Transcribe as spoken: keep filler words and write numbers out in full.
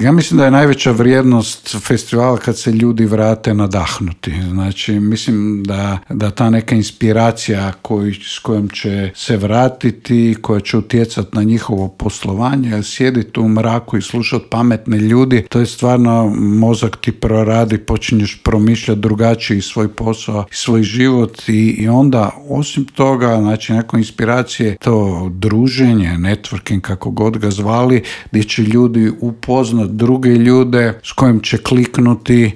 Ja mislim da je najveća vrijednost festivala kad se ljudi vrate nadahnuti. Znači, mislim da, da ta neka inspiracija koju, s kojom će se vratiti, koja će utjecati na njihovo poslovanje, sjediti u mraku i slušati pametne ljudi, to je stvarno, mozak ti proradi, počinješ promišljati drugačiji svoj posao i svoj život i, i onda, osim toga, znači, neko inspiracije, to druženje, networking, kako god ga zvali, gdje će ljudi upoznat druge ljude s kojim će kliknuti